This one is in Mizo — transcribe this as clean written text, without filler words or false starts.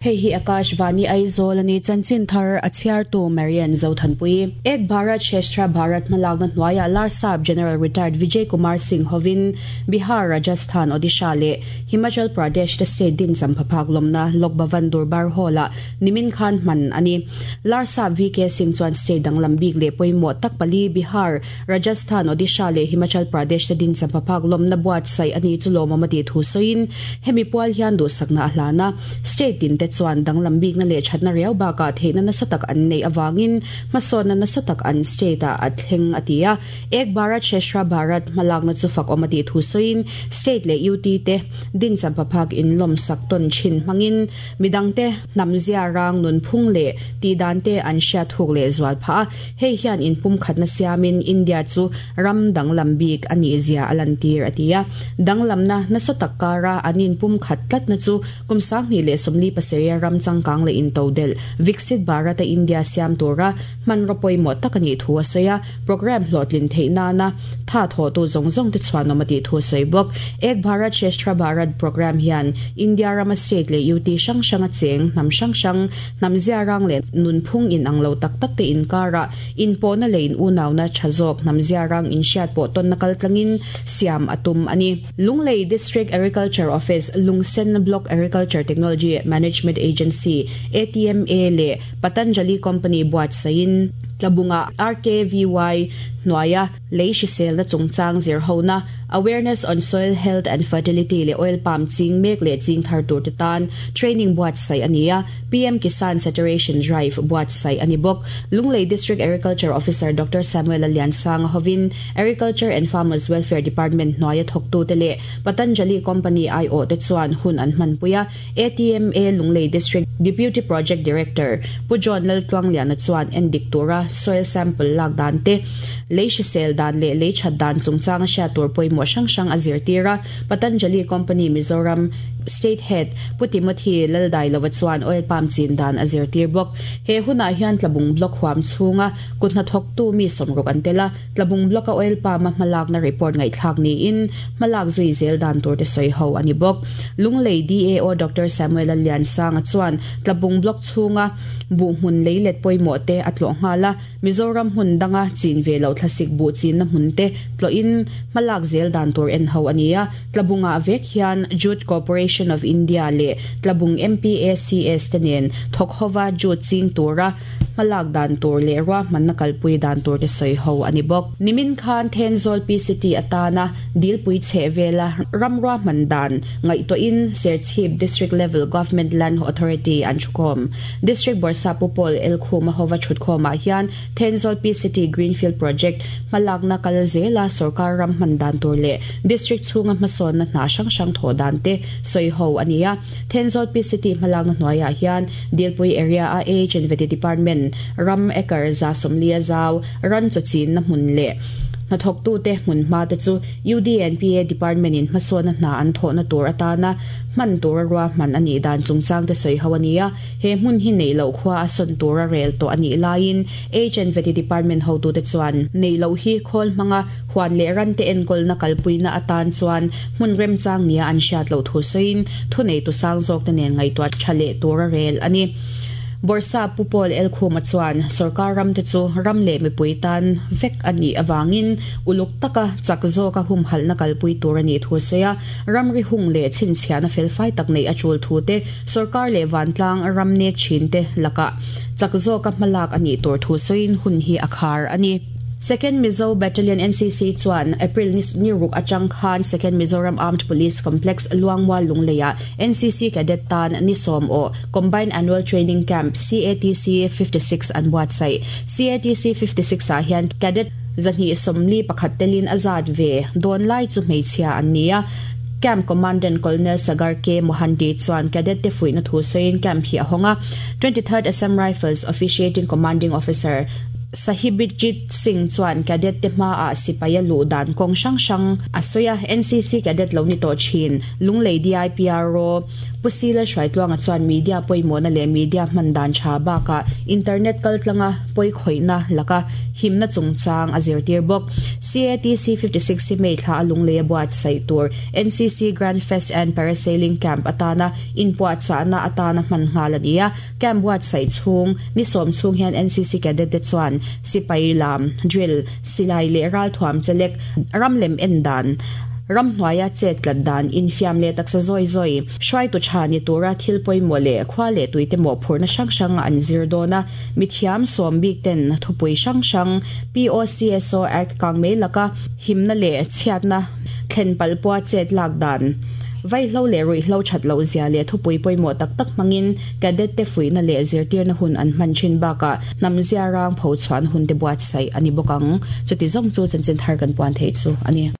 Hei hi Akashvani Aizawl a ni, chanchin thar a chhiartu Marian Zothanpui. Ek Bharat Shreshtha Bharat hmalakna hnuaiah Larsap General Retired Vijay Kumar Singh hovin Bihar, Rajasthan, Odisha leh Himachal Pradesh te state din champhaphak lawmna Lok Bhavan Durbar Hall-ah nimin khan hman a ni. Larsap VK Singh chuan state danglam bik leh pawimawh tak pali Bihar, Rajasthan, Odisha leh Himachal Pradesh te din champhaphak lawmna buatsaih a ni chu lawmawm a tih thu sawiin hemi pual hian duhsakna a hlan a. State tin te chuan danglam bikna leh thatna riau bakah theihna nasa tak an neih avangin hmasawnna nasa tak an state ah a thleng a ti a. Ek Bharat Shreshtha Bharat hmalakna chu fakawm a tih thu sawiin state leh UT te din champhaphak inlawmsak tawn thin hmangin midangte hnamzia rang nunphung leh tihdan te an hriat thuk leh zual phah a. Hei hian inpumkhatna siamin India chu ram danglam bik a nih zia a lantir a ti a. Danglamna nasa tak kara an inpumkhat tlatna chu kum 2027 a ram changkang leh intodelh Viksit Bharat-a India siam tura hmanraw pawimawh tak a nih thu a sawi a. Programme hlawhtlin theih nana tha thawhtu zawng zawng te chhuanawm a tih thu a sawi bawk. Ek Bharat Shreshtha Bharat programme hian India rama state leh UT hrang hranga cheng hnam hrang hrang, hnam zia rang leh nunphung inang lo tak tak te inkarah inpawhna leh in unauna tha zawk hnam zia rang inhriat pawh tawnna kal tlangin siam a tum a ni. Lunglei District Agriculture Office, Lungsen Block Agriculture Technology Management Agency, ATMA, leh Patanjali Company buatsaihin Tlabunga RKVY hnuaia lei hriselna chungchang zirhona, Awareness on Soil Health and Fertility leh Oil Palm ching mek leh ching thar turte tan training buatsaih a ni a, PM Kisan Saturation Drive buatsaih a ni bawk. Lunglei District Agriculture Officer Doctor Samuel-a Liansanga hovin Agriculture and Farmers Welfare Department hnuaia thawktute leh Patanjali Company aiawhte chuan hun an hmanpui a, ATMA Lunglei District Deputy Project Director Pu John Laltluangliana chuan endik tura soil sample lak dan te, lei hrisel dan leh lei that dan chungchanga hriat tur pawimawh hrang hrang a zirtir a. Patanjali Company Mizoram State Head Pu Timothy Laldailova chuan oil palm chin dan a zirtir bawk. He hunah hian Tlabung Block huam chhunga kut hnathawktu mi sawmruk an tel a. Tlabung Block-a oil palm-a hmalakna report ngaihthlak niin hmalak zui zel dan tur te sawi ho a ni bawk. Lunglei DAO Doctor Samuel-a Liansanga chuan Tlabung Block chhunga buh hmun leilet pawimawh te a tlawh nghal a, Mizoram hmun danga chin ve loh thlasik buh chinna hmun te tlawhin hmalak zel dan tur en ho a ni a. Tlabungah vek hian Jute Corporation of India leh Tlabung MPACS te nen thawk hova jute ching tura Hmalak dan tur leh ruahmanna kalpui dan tur te sawi ho a ni bawk. Nimin khan Thenzawl PCT atana dilpui chheh vela ram ruahman dan ngaihtuahin Serchhip District Level Government Land Authority an thukhawm. District Bawrhsap Pu Paul Elkhuma hova thutkhawmah hian Thenzawl PCT Greenfield Project hmalakna kal zela sorkar ram hman dan tur leh District chhunga hmasawnna hna hrang hrang thawh dan te sawi ho a ni a. Thenzawl PCT hmalakna hnuaiah hian Dilpui area-a AH and Vety Department ram acre 140 zau ran chaw chinna hmun leh hnathawktute hmun hma te chu UDNPA Department-in hmasawnna hna an thawhna tur atana hman tura ruahman a nih dan chungchang te sawi ho a ni a. He hmun hi neih loh khua a sawn tura rel tawh a nih laiin AH and Vety Department hotute chuan neih loh hi khawl hmanga Huan leh rante enkawlna kalpuina atan chuan hmun remchang nia an hriat loh thu sawiin thuneitu sang zawkte nen ngaihtuah tha leh tur a rel a ni. Bawrhsa Pu Paul Elkhuma chuan sorkar ramte chu ram leh mipui tan vek a nih avangin uluk taka chak zawka humhalhna kalpui tur a nih thu a sawi a, ramri hung leh chhinchhiahna felfai tak neih a tul thu te, sorkar leh vantlang ram nek thinte lakah chak zawka hmalak a nih tur thu sawiin hun hi a khar a ni. Second Mizo Battalion NCC chuan April ni ni ruk atang khan Second Mizoram Armed Police Complex Luangmual Lungleiah NCC Cadet tan ni sawm aw Combined Annual Training Camp, CATC, 56 an buatsaih. CATC 56 ah hian Cadet 241 telin a zat ve dawn lai chu hmeichhia an ni a. Camp Commandant Colonel Sagar K. Mohanty chuan Cadet te fuihna thu sawiin camp hi a hawng a. 23rd Assam Rifles Officiating Commanding Officer. Sahibjit Singh chuan cadet te hmaah sipai a luh dan kawng hrang hrang a sawi a, NCC cadet lo ni tawh thin Lunglei DIPRO Pu Sila Hruaitluanga chuan media pawimawhna leh media hman dan tha bakah internet kaltlanga pawikhawihna laka himna chungchang a zirtir bawk. CATC 56 hi May thla a Lunglei a buatsaih tur NCC Grand Fest and Parasailing Camp atana inpuahchahna atana hman nghal a ni a. Camp buatsaih chhung ni sawm chhung hian NCC cadet te chuan sipai lam, drill, silai leh ralthuam chelek, ram lem en dan, ramhnuaia chet tlat dan, infiam leh taksa zawi zawi, hruaitu tha ni tura thil pawimawh leh khua leh tuite mawhphurhna hrang hrang an zir dawn a, mithiam sawm bik ten thupui hrang hrang, POCSO Act kangmei laka himna leh chhiatna thlen palpua chet lak dan, vaihlo leh ruihhlo that loh zia leh thupui pawimawh tak tak hmangin cadet te fuihna leh zirtirna hun an hman thin bakah hnam zia rang pho chhuahna hun te buatsaih a ni bawk ang. Chuti zawng chu chanchin thar kan puan theih chu a ni.